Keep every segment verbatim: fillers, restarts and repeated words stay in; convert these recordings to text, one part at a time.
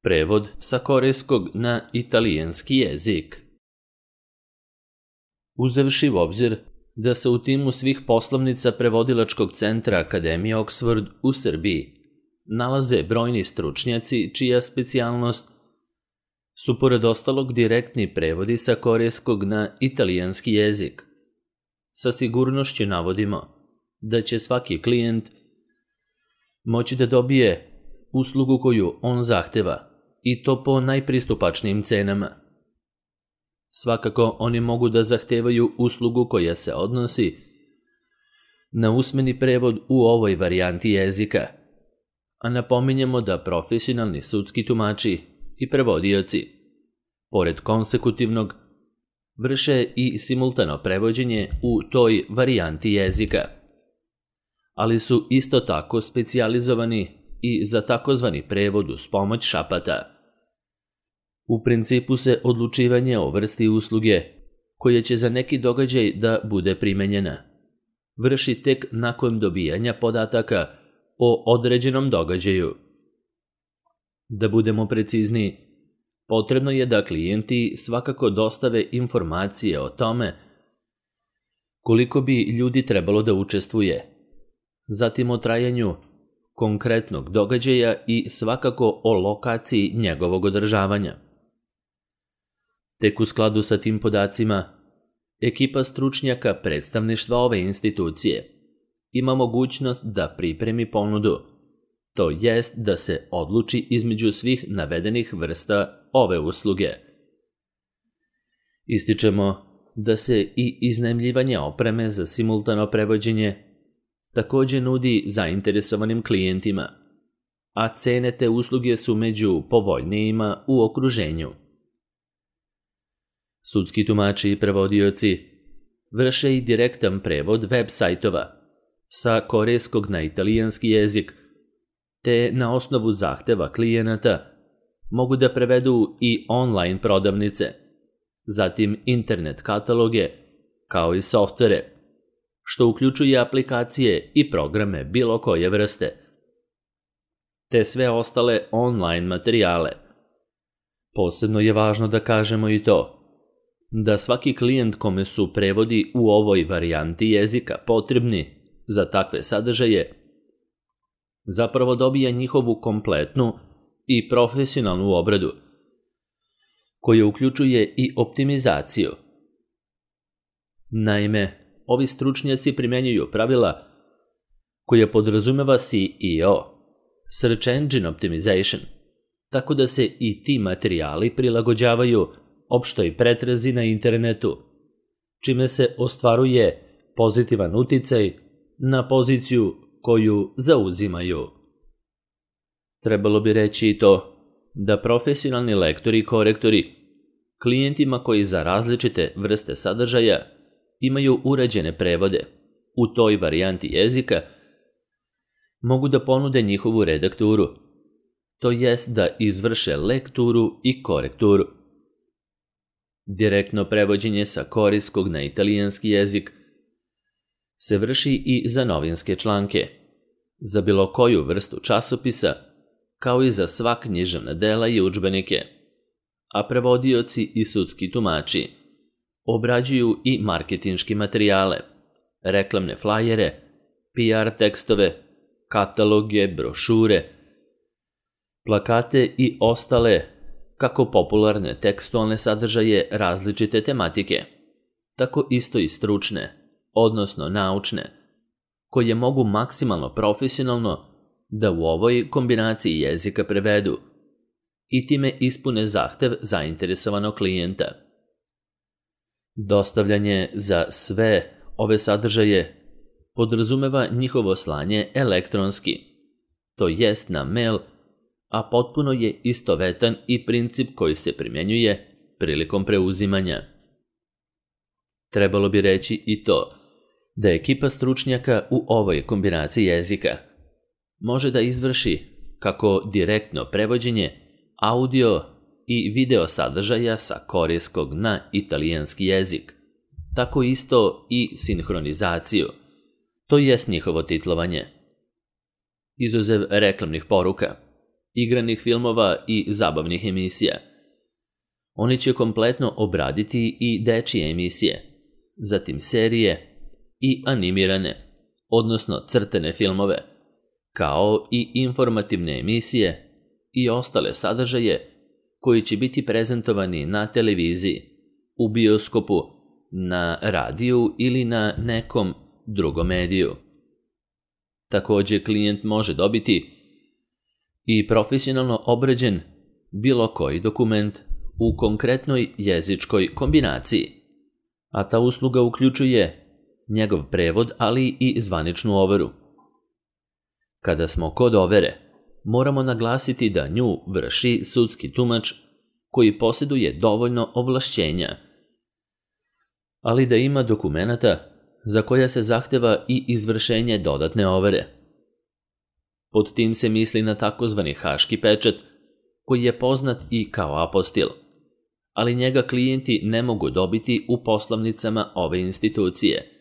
Prevod sa korejskog na italijanski jezik. Uzevši u obzir da se u timu svih poslovnica prevodilačkog centra Akademije Oxford u Srbiji nalaze brojni stručnjaci čija specijalnost su pored ostalog direktni prevodi sa korejskog na italijanski jezik. Sa sigurnošću navodimo da će svaki klijent moći da dobije uslugu koju on zahteva i to po najpristupačnijim cenama. Svakako oni mogu da zahtevaju uslugu koja se odnosi na usmeni prevod u ovoj varijanti jezika, a napominjemo da profesionalni sudski tumači i prevodioci, pored konsekutivnog, vrše i simultano prevođenje u toj varijanti jezika, ali su isto tako specijalizovani i za takozvani prevod uz pomoć šapata. U principu se odlučivanje o vrsti usluge, koja će za neki događaj da bude primenjena, vrši tek nakon dobijanja podataka o određenom događaju. Da budemo precizniji, potrebno je da klijenti svakako dostave informacije o tome koliko bi ljudi trebalo da učestvuje, zatim o trajanju konkretnog događaja i svakako o lokaciji njegovog održavanja. Tek u skladu sa tim podacima, ekipa stručnjaka predstavništva ove institucije ima mogućnost da pripremi ponudu, to jest da se odluči između svih navedenih vrsta ove usluge. Ističemo da se i iznajmljivanje opreme za simultano prevođenje također nudi zainteresovanim klijentima, a cene te usluge su među povoljnijima u okruženju. Sudski tumači i prevodioci vrše i direktan prevod web sajtova sa korejskog na italijanski jezik, te na osnovu zahteva klijenata mogu da prevedu i online prodavnice, zatim internet kataloge, kao i softvere, što uključuje aplikacije i programe bilo koje vrste, te sve ostale online materijale. Posebno je važno da kažemo i to da svaki klijent kome su prevodi u ovoj varijanti jezika potrebni za takve sadržaje zapravo dobija njihovu kompletnu i profesionalnu obradu, koja uključuje i optimizaciju. Naime, ovi stručnjaci primenjuju pravila koja podrazumeva S E O, Search Engine Optimization, tako da se i ti materijali prilagođavaju opštoj pretrazi na internetu, čime se ostvaruje pozitivan uticaj na poziciju koju zauzimaju. Trebalo bi reći i to da profesionalni lektori i korektori klijentima koji za različite vrste sadržaja imaju uređene prevode u toj varijanti jezika mogu da ponude njihovu redakturu, to jest da izvrše lekturu i korekturu. Direktno prevođenje sa korejskog na italijanski jezik se vrši i za novinske članke, za bilo koju vrstu časopisa, kao i za sva književna dela i udžbenike, a prevodioci i sudski tumači obrađuju i marketinški materijale, reklamne flajere, P R tekstove, kataloge, brošure, plakate i ostale kako popularne tekstualne sadržaje različite tematike, tako isto i stručne, odnosno naučne, koje mogu maksimalno profesionalno da u ovoj kombinaciji jezika prevedu i time ispune zahtev zainteresovanog klijenta. Dostavljanje za sve ove sadržaje podrazumeva njihovo slanje elektronski, to jest na mail, a potpuno je istovetan i princip koji se primjenjuje prilikom preuzimanja. Trebalo bi reći i to da ekipa stručnjaka u ovoj kombinaciji jezika može da izvrši kako direktno prevođenje audio i video sadržaja sa korejskog na italijanski jezik, tako isto i sinhronizaciju, to jest njihovo titlovanje. Izuzev reklamnih poruka, igranih filmova i zabavnih emisija. Oni će kompletno obraditi i dečije emisije, zatim serije i animirane, odnosno crtene filmove, kao i informativne emisije i ostale sadržaje koji će biti prezentovani na televiziji, u bioskopu, na radiju ili na nekom drugom mediju. Također klijent može dobiti i profesionalno obrađen bilo koji dokument u konkretnoj jezičkoj kombinaciji, a ta usluga uključuje njegov prevod, ali i zvaničnu overu. Kada smo kod overe, moramo naglasiti da nju vrši sudski tumač koji posjeduje dovoljno ovlašćenja, ali da ima dokumenata za koja se zahteva i izvršenje dodatne overe. Pod tim se misli na takozvani haški pečat, koji je poznat i kao apostil, ali njega klijenti ne mogu dobiti u poslovnicama ove institucije,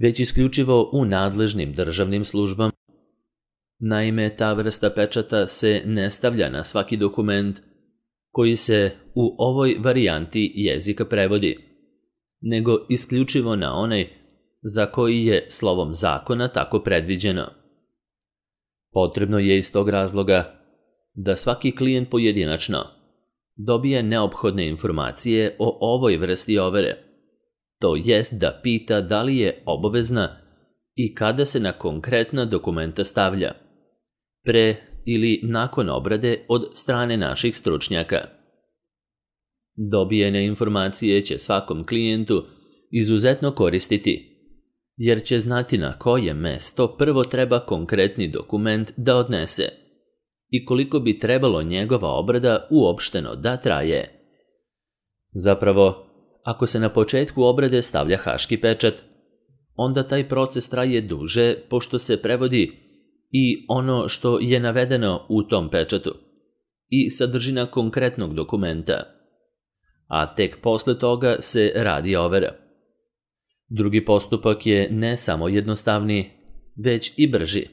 već isključivo u nadležnim državnim službama. Naime, ta vrsta pečata se ne stavlja na svaki dokument koji se u ovoj varijanti jezika prevodi, nego isključivo na onaj za koji je slovom zakona tako predviđeno. Potrebno je iz tog razloga da svaki klijent pojedinačno dobije neophodne informacije o ovoj vrsti overe, to jest da pita da li je obavezna i kada se na konkretna dokumenta stavlja, pre ili nakon obrade od strane naših stručnjaka. Dobijene informacije će svakom klijentu izuzetno koristiti, jer će znati na koje mesto prvo treba konkretni dokument da odnese i koliko bi trebalo njegova obrada uopšteno da traje. Zapravo, ako se na početku obrade stavlja haški pečat, onda taj proces traje duže pošto se prevodi i ono što je navedeno u tom pečatu i sadržina konkretnog dokumenta, a tek posle toga se radi overa. Drugi postupak je ne samo jednostavniji, već i brži,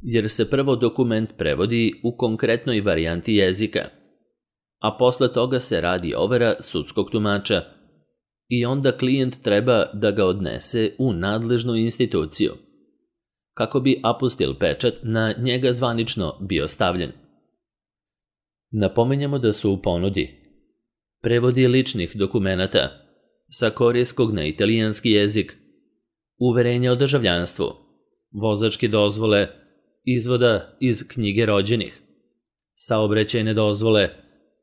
jer se prvo dokument prevodi u konkretnoj varijanti jezika, a posle toga se radi overa sudskog tumača i onda klijent treba da ga odnese u nadležnu instituciju, kako bi apostil pečat na njega zvanično bio stavljen. Napominjemo da su u ponudi prevodi ličnih dokumenata sa korejskog na italijanski jezik, uverenja o državljanstvu, vozačke dozvole, izvoda iz knjige rođenih, saobraćajne dozvole,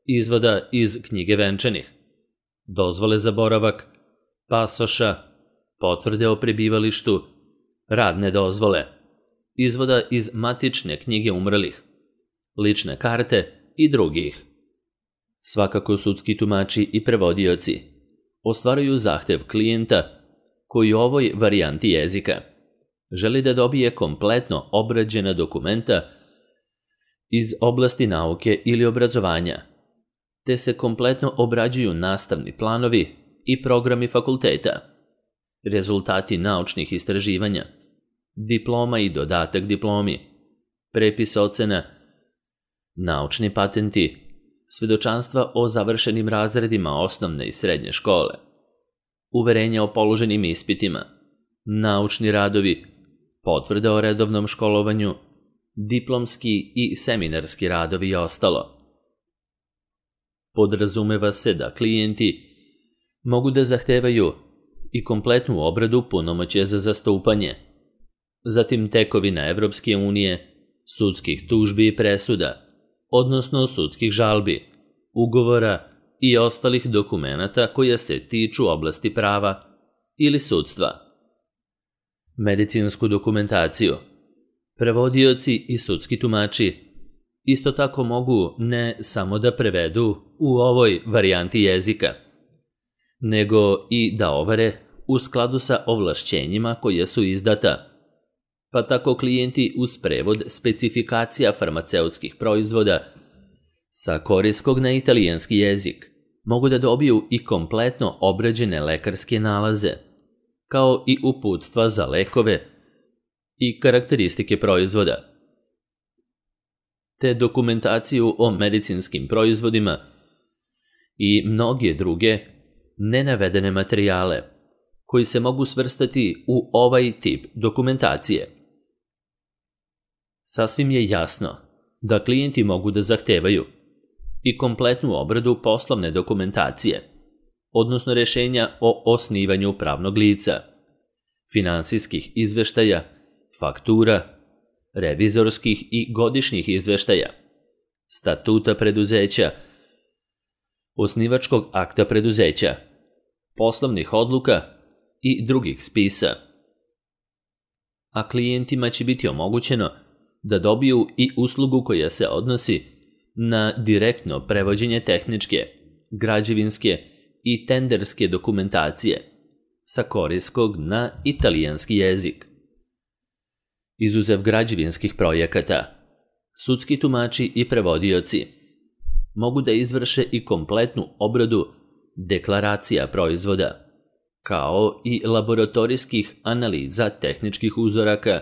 izvoda iz knjige venčanih, dozvole za boravak, pasoša, potvrde o prebivalištu, radne dozvole, izvoda iz matične knjige umrlih, lične karte i drugih. Svakako sudski tumači i prevodioci ostvaruju zahtev klijenta koji u ovoj varijanti jezika želi da dobije kompletno obrađena dokumenta iz oblasti nauke ili obrazovanja, te se kompletno obrađuju nastavni planovi i programi fakulteta, rezultati naučnih istraživanja, diploma i dodatak diplomi, prepis ocena, naučni patenti, svedočanstva o završenim razredima osnovne i srednje škole, uverenja o položenim ispitima, naučni radovi, potvrde o redovnom školovanju, diplomski i seminarski radovi i ostalo. Podrazumeva se da klijenti mogu da zahtevaju i kompletnu obradu punomoćja za zastupanje, zatim tekovina Evropske unije, sudskih tužbi i presuda, odnosno sudskih žalbi, ugovora i ostalih dokumenata koja se tiču oblasti prava ili sudstva. Medicinsku dokumentaciju, prevodioci i sudski tumači isto tako mogu ne samo da prevedu u ovoj varijanti jezika, nego i da overe u skladu sa ovlašćenjima koja su izdata, pa tako klijenti uz prevod specifikacija farmaceutskih proizvoda sa korejskog na italijanski jezik mogu da dobiju i kompletno obrađene lekarske nalaze, kao i uputstva za lekove i karakteristike proizvoda. te dokumentaciju o medicinskim proizvodima i mnoge druge nenavedene materijale koji se mogu svrstati u ovaj tip dokumentacije. Sasvim je jasno da klijenti mogu da zahtevaju i kompletnu obradu poslovne dokumentacije, odnosno rješenja o osnivanju pravnog lica, finansijskih izveštaja, faktura, revizorskih i godišnjih izveštaja, statuta preduzeća, osnivačkog akta preduzeća, poslovnih odluka i drugih spisa. A klijentima će biti omogućeno da dobiju i uslugu koja se odnosi na direktno prevođenje tehničke, građevinske i tenderske dokumentacije sa korejskog na italijanski jezik. Izuzev građevinskih projekata, sudski tumači i prevodioci mogu da izvrše i kompletnu obradu deklaracija proizvoda, kao i laboratorijskih analiza tehničkih uzoraka,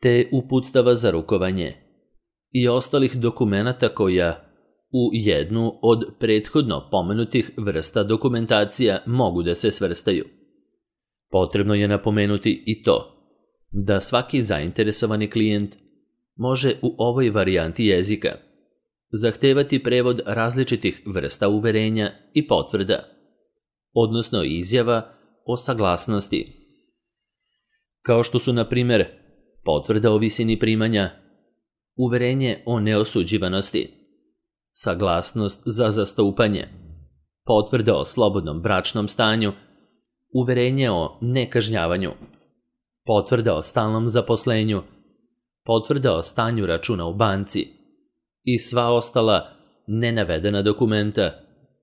te uputstava za rukovanje i ostalih dokumenata koja u jednu od prethodno pomenutih vrsta dokumentacija mogu da se svrstaju. Potrebno je napomenuti i to da svaki zainteresovani klijent može u ovoj varijanti jezika zahtevati prevod različitih vrsta uverenja i potvrda, odnosno izjava o saglasnosti, kao što su, na primjer, potvrda o visini primanja, uverenje o neosuđivanosti, saglasnost za zastupanje, potvrda o slobodnom bračnom stanju, uverenje o nekažnjavanju, potvrda o stalnom zaposlenju, potvrda o stanju računa u banci i sva ostala nenavedena dokumenta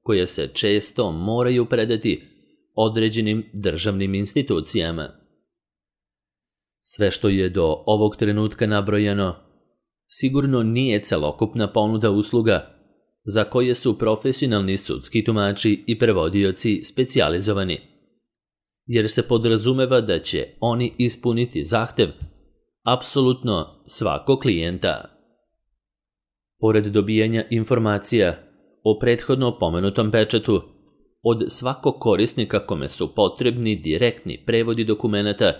koja se često moraju predati određenim državnim institucijama. Sve što je do ovog trenutka nabrojano sigurno nije celokupna ponuda usluga za koje su profesionalni sudski tumači i prevodioci specijalizovani, jer se podrazumeva da će oni ispuniti zahtev apsolutno svakog klijenta. Pored dobijanja informacija o prethodno pomenutom pečatu od svakog korisnika kome su potrebni direktni prevodi dokumenata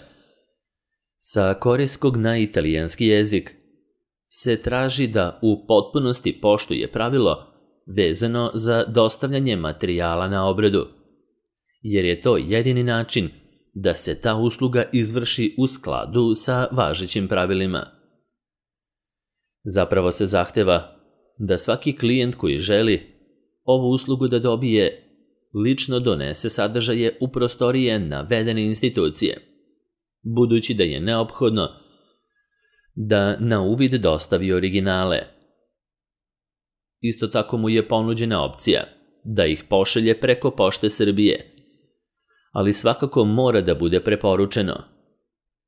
sa korejskog na italijanski jezik, se traži da u potpunosti poštuje pravilo vezano za dostavljanje materijala na obradu, jer je to jedini način da se ta usluga izvrši u skladu sa važećim pravilima. Zapravo se zahteva da svaki klijent koji želi ovu uslugu da dobije lično donese sadržaje u prostorije navedene institucije, budući da je neophodno da na uvid dostavi originale. Isto tako mu je ponuđena opcija da ih pošalje preko Pošte Srbije, ali svakako mora da bude preporučeno,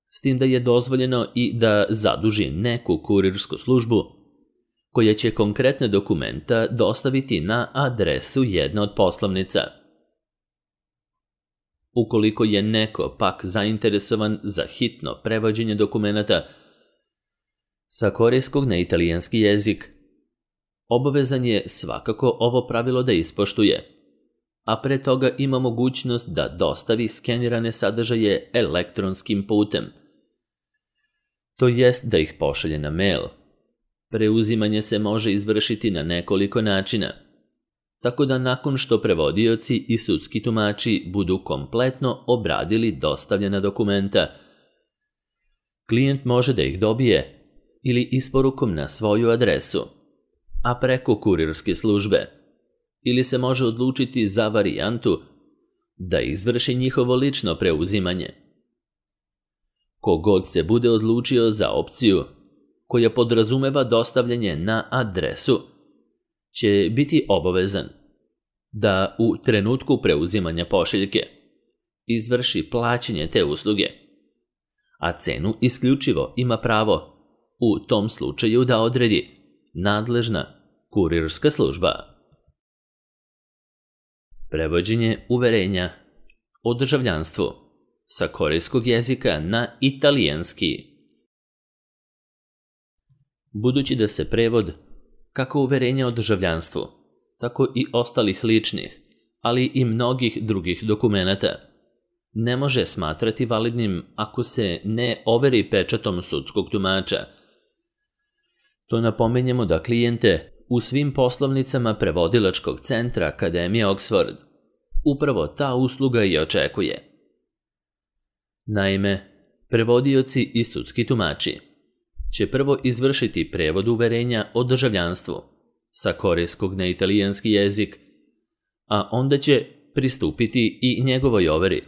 s tim da je dozvoljeno i da zaduži neku kurirsku službu koja će konkretne dokumenta dostaviti na adresu jedne od poslovnica. Ukoliko je neko pak zainteresovan za hitno prevođenje dokumenata sa korejskog na italijanski jezik, obavezan je svakako ovo pravilo da ispoštuje, a pre toga ima mogućnost da dostavi skenirane sadržaje elektronskim putem, to jest da ih pošalje na mail. Preuzimanje se može izvršiti na nekoliko načina, tako da nakon što prevodioci i sudski tumači budu kompletno obradili dostavljena dokumenta, klijent može da ih dobije ili isporukom na svoju adresu, a preko kurirske službe, ili se može odlučiti za varijantu da izvrši njihovo lično preuzimanje. Kogod se bude odlučio za opciju koja podrazumeva dostavljanje na adresu, će biti obavezan da u trenutku preuzimanja pošiljke izvrši plaćanje te usluge, a cenu isključivo ima pravo u tom slučaju da odredi nadležna kurirska služba. Prevođenje uverenja o državljanstvu sa korejskog jezika na italijanski. budući da se prevod, kako uverenja o državljanstvu, tako i ostalih ličnih, ali i mnogih drugih dokumenata, ne može smatrati validnim ako se ne overi pečatom sudskog tumača. To napominjemo da klijente u svim poslovnicama prevodilačkog centra Akademije Oxford upravo ta usluga i očekuje. Naime, prevodioci i sudski tumači će prvo izvršiti prevod uverenja o državljanstvu sa korejskog na italijanski jezik, a onda će pristupiti i njegovoj overi,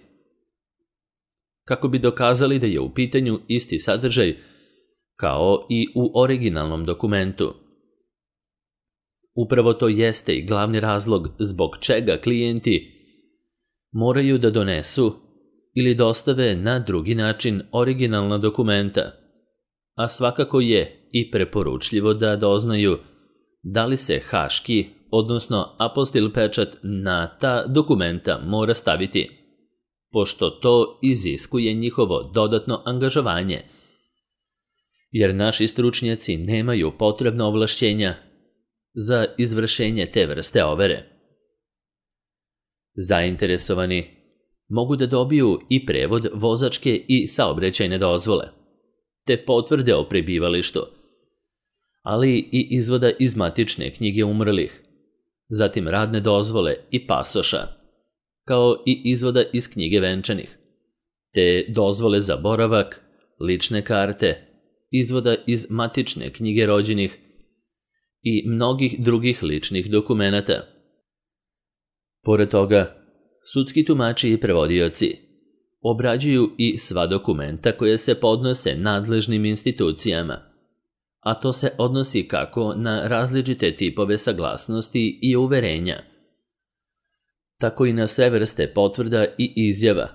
kako bi dokazali da je u pitanju isti sadržaj kao i u originalnom dokumentu. Upravo to jeste i glavni razlog zbog čega klijenti moraju da donesu ili dostave na drugi način originalna dokumenta, a svakako je i preporučljivo da doznaju da li se haški, odnosno apostil pečat na ta dokumenta mora staviti, pošto to iziskuje njihovo dodatno angažovanje, jer naši stručnjaci nemaju potrebna ovlašćenja za izvršenje te vrste overe. Zainteresovani mogu da dobiju i prevod vozačke i saobraćajne dozvole, te potvrde o prebivalištu, ali i izvoda iz matične knjige umrlih, zatim radne dozvole i pasoša, kao i izvoda iz knjige venčanih, te dozvole za boravak, lične karte, izvoda iz matične knjige rođenih i mnogih drugih ličnih dokumenata. Pored toga, sudski tumači i prevodioci obrađuju i sva dokumenta koje se podnose nadležnim institucijama, a to se odnosi kako na različite tipove saglasnosti i uverenja, tako i na sve vrste potvrda i izjava,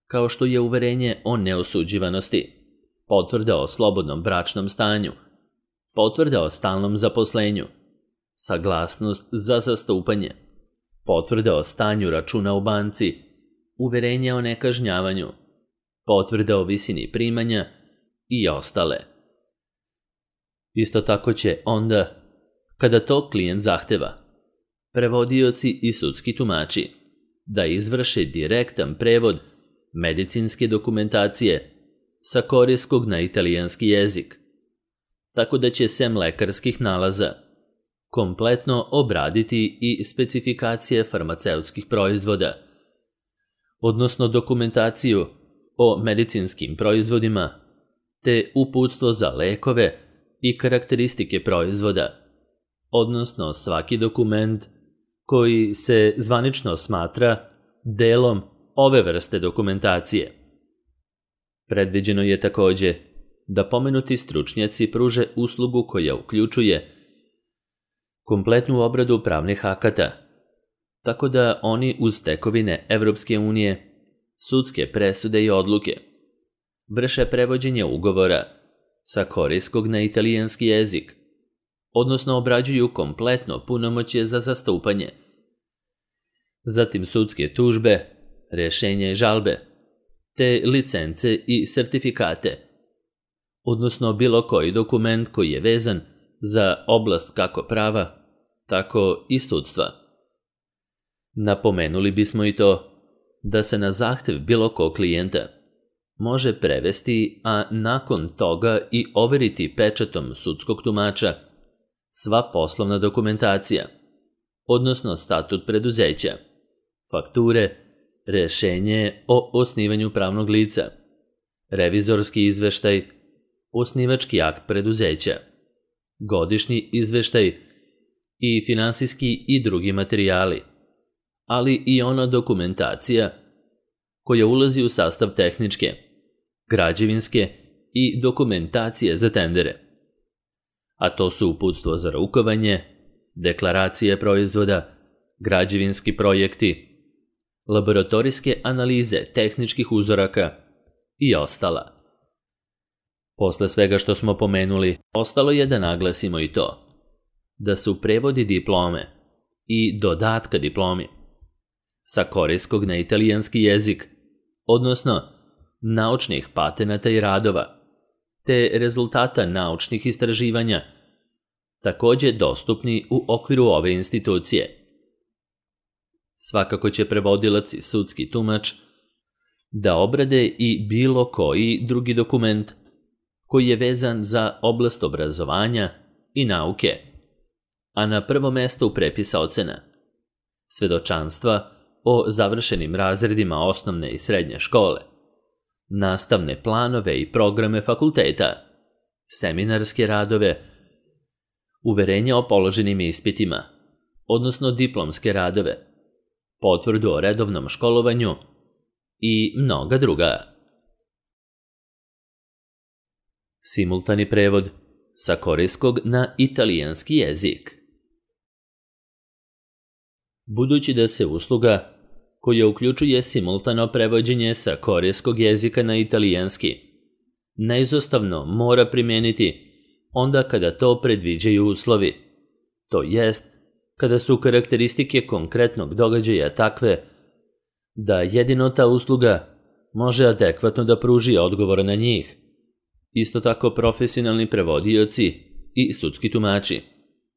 kao što je uverenje o neosuđivanosti, potvrda o slobodnom bračnom stanju, potvrda o stalnom zaposlenju, saglasnost za zastupanje, potvrda o stanju računa u banci, uverenje o nekažnjavanju, potvrda o visini primanja i ostale. Isto tako će onda, kada to klijent zahteva, prevodioci i sudski tumači da izvrše direktan prevod medicinske dokumentacije sa korejskog na italijanski jezik, tako da će sem lekarskih nalaza kompletno obraditi i specifikacije farmaceutskih proizvoda, odnosno dokumentaciju o medicinskim proizvodima, te uputstvo za lekove i karakteristike proizvoda, odnosno svaki dokument koji se zvanično smatra delom ove vrste dokumentacije. Predviđeno je takođe da pomenuti stručnjaci pruže uslugu koja uključuje kompletnu obradu pravnih akata, tako da oni uz tekovine Evropske unije, sudske presude i odluke vrše prevođenje ugovora sa korejskog na italijanski jezik, odnosno obrađuju kompletno punomoćje za zastupanje, zatim sudske tužbe, rešenja i žalbe, te licence i sertifikate, odnosno bilo koji dokument koji je vezan za oblast kako prava, tako i sudstva. Napomenuli bismo i to da se na zahtev bilo kog klijenta može prevesti, a nakon toga i overiti pečatom sudskog tumača sva poslovna dokumentacija, odnosno statut preduzeća, fakture, rešenje o osnivanju pravnog lica, revizorski izveštaj, osnivački akt preduzeća, godišnji izveštaj i finansijski i drugi materijali, ali i ona dokumentacija koja ulazi u sastav tehničke, građevinske i dokumentacije za tendere. A to su uputstvo za rukovanje, deklaracije proizvoda, građevinski projekti, laboratorijske analize tehničkih uzoraka i ostala. Posle svega što smo pomenuli, ostalo je da naglasimo i to da su prevodi diplome i dodatka diplomi sa korejskog na italijanski jezik, odnosno naučnih patenata i radova, te rezultata naučnih istraživanja, također dostupni u okviru ove institucije. Svakako će prevodilac i sudski tumač da obrade i bilo koji drugi dokument koji je vezan za oblast obrazovanja i nauke, a na prvo mesto prepisa ocena, svedočanstva o završenim razredima osnovne i srednje škole, nastavne planove i programe fakulteta, seminarske radove, uverenja o položenim ispitima, odnosno diplomske radove, potvrdu o redovnom školovanju i mnoga druga. Simultani prevod sa korejskog na italijanski jezik. Budući da se usluga koja uključuje simultano prevođenje sa korejskog jezika na italijanski neizostavno mora primijeniti onda kada to predviđaju uslovi, to jest kada su karakteristike konkretnog događaja takve da jedino ta usluga može adekvatno da pruži odgovor na njih. Isto tako profesionalni prevodioci i sudski tumači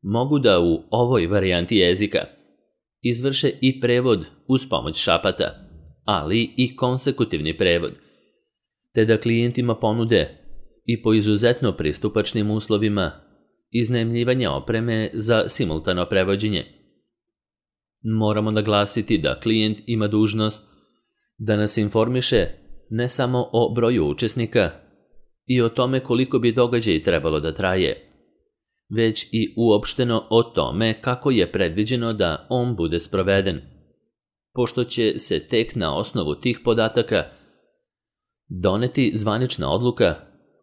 mogu da u ovoj varijanti jezika izvrše i prevod uz pomoć šapata, ali i konsekutivni prevod, te da klijentima ponude i po izuzetno pristupačnim uslovima iznajmljivanja opreme za simultano prevođenje. Moramo naglasiti da klijent ima dužnost da nas informiše ne samo o broju učesnika i o tome koliko bi događaj trebalo da traje, već i uopšteno o tome kako je predviđeno da on bude sproveden, pošto će se tek na osnovu tih podataka doneti zvanična odluka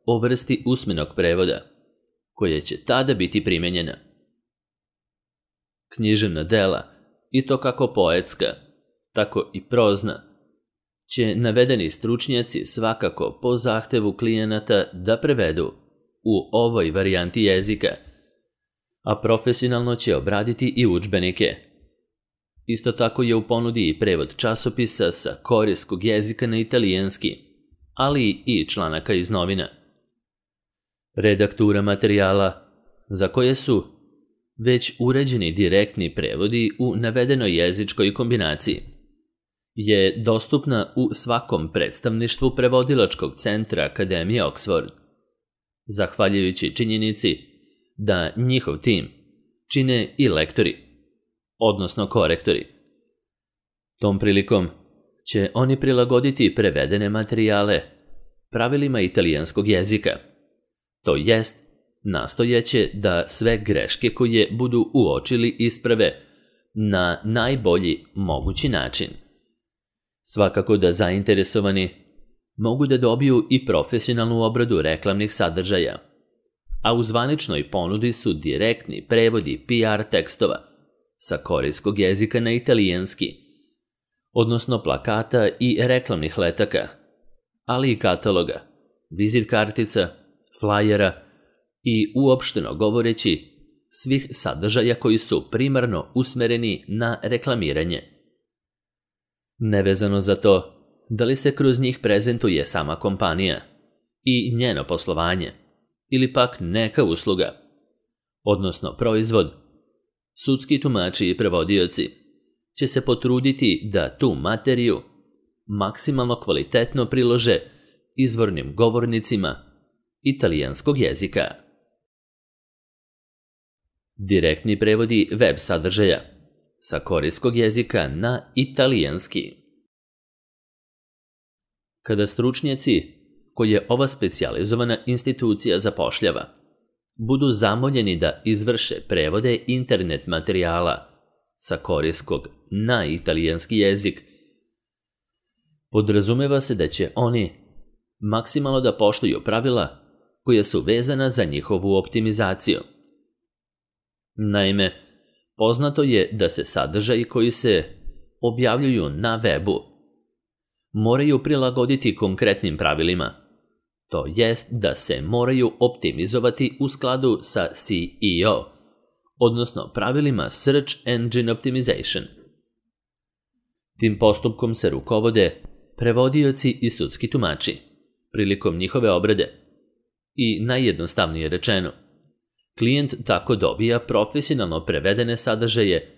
o vrsti usmenog prevoda, koja će tada biti primenjena. Književna dela, i to kako poetska, tako i prozna, će navedeni stručnjaci svakako po zahtevu klijenata da prevedu u ovoj varijanti jezika, a profesionalno će obraditi i udžbenike. Isto tako je u ponudi i prevod časopisa sa korejskog jezika na italijanski, ali i članaka iz novina. Redaktura materijala, za koje su već uređeni direktni prevodi u navedenoj jezičkoj kombinaciji, je dostupna u svakom predstavništvu prevodilačkog centra Akademije Oxford, zahvaljujući činjenici da njihov tim čine i lektori, odnosno korektori. Tom prilikom će oni prilagoditi prevedene materijale pravilima italijanskog jezika, to jest nastojeće da sve greške koje budu uočili isprave na najbolji mogući način. Svakako da zainteresovani mogu da dobiju i profesionalnu obradu reklamnih sadržaja, a u zvaničnoj ponudi su direktni prevodi P R tekstova sa korejskog jezika na italijanski, odnosno plakata i reklamnih letaka, ali i kataloga, vizit kartica, flajera i uopšteno govoreći svih sadržaja koji su primarno usmereni na reklamiranje. Nevezano za to da li se kroz njih prezentuje sama kompanija i njeno poslovanje, ili pak neka usluga, odnosno proizvod, sudski tumači i prevodioci će se potruditi da tu materiju maksimalno kvalitetno prilože izvornim govornicima italijanskog jezika. Direktni prevodi web sadržaja sa korejskog jezika na italijanski. Kada stručnjaci koje ova specijalizovana institucija zapošljava budu zamoljeni da izvrše prevode internet materijala sa korejskog na italijanski jezik, podrazumeva se da će oni maksimalno da poštuju pravila koja su vezana za njihovu optimizaciju. Naime, poznato je da se sadržaji koji se objavljuju na webu moraju prilagoditi konkretnim pravilima, to jest da se moraju optimizovati u skladu sa S E O, odnosno pravilima Search Engine Optimization. Tim postupkom se rukovode prevodioci i sudski tumači prilikom njihove obrade, I najjednostavnije rečeno, klijent tako dobija profesionalno prevedene sadržaje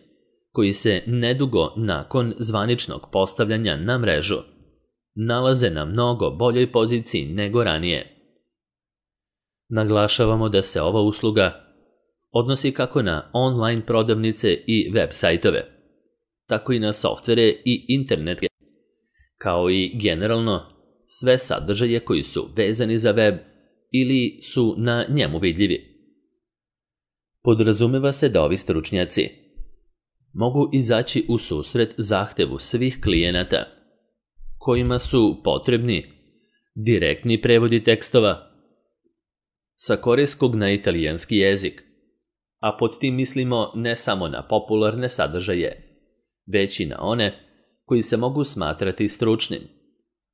koji se nedugo nakon zvaničnog postavljanja na mrežu nalaze na mnogo boljoj poziciji nego ranije. Naglašavamo da se ova usluga odnosi kako na online prodavnice i web sajtove, tako i na softvere i internet, kao i generalno sve sadržaje koji su vezani za web ili su na njemu vidljivi. Podrazumeva se da ovi stručnjaci mogu izaći u susret zahtevu svih klijenata kojima su potrebni direktni prevodi tekstova sa korejskog na italijanski jezik, a pod tim mislimo ne samo na popularne sadržaje, već i na one koji se mogu smatrati stručnim,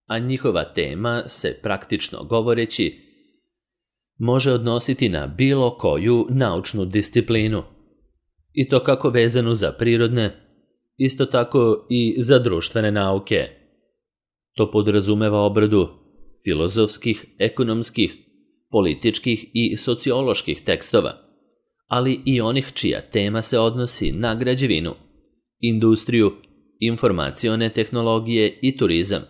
a njihova tema se praktično govoreći može odnositi na bilo koju naučnu disciplinu, i to kako vezanu za prirodne, isto tako i za društvene nauke. To podrazumeva obradu filozofskih, ekonomskih, političkih i socioloških tekstova, ali i onih čija tema se odnosi na građevinu, industriju, informacione tehnologije i turizam,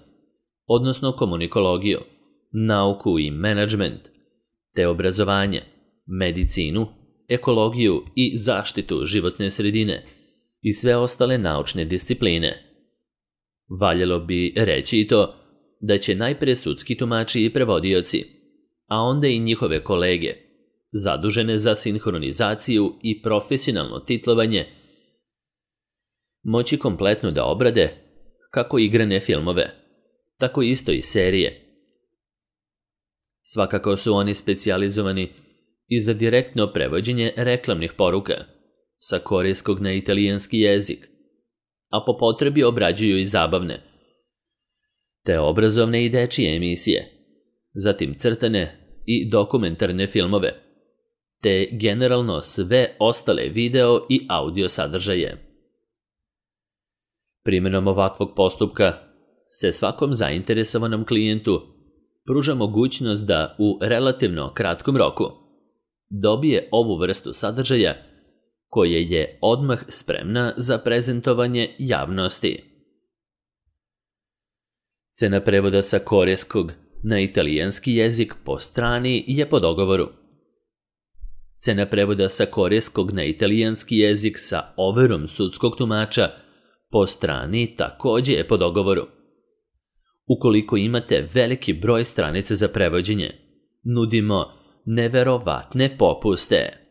odnosno komunikologiju, nauku i menadžment, te obrazovanje, medicinu, ekologiju i zaštitu životne sredine i sve ostale naučne discipline. Valjalo bi reći i to da će najpre sudski tumači i prevodioci, a onda i njihove kolege, zadužene za sinhronizaciju i profesionalno titlovanje, moći kompletno da obrade kako igrane filmove, tako isto i serije. Svakako su oni specijalizovani i za direktno prevođenje reklamnih poruka sa korejskog na italijanski jezik, a po potrebi obrađuju i zabavne, te obrazovne i dečije emisije, zatim crtane i dokumentarne filmove, te generalno sve ostale video i audio sadržaje. Primjenom ovakvog postupka se svakom zainteresovanom klijentu pruža mogućnost da u relativno kratkom roku dobije ovu vrstu sadržaja koje je odmah spremna za prezentovanje javnosti. Cena prevoda sa korejskog na italijanski jezik po strani je po dogovoru. Cena prevoda sa korejskog na italijanski jezik sa overom sudskog tumača po strani takođe je po dogovoru. Ukoliko imate veliki broj stranica za prevođenje, nudimo neverovatne popuste.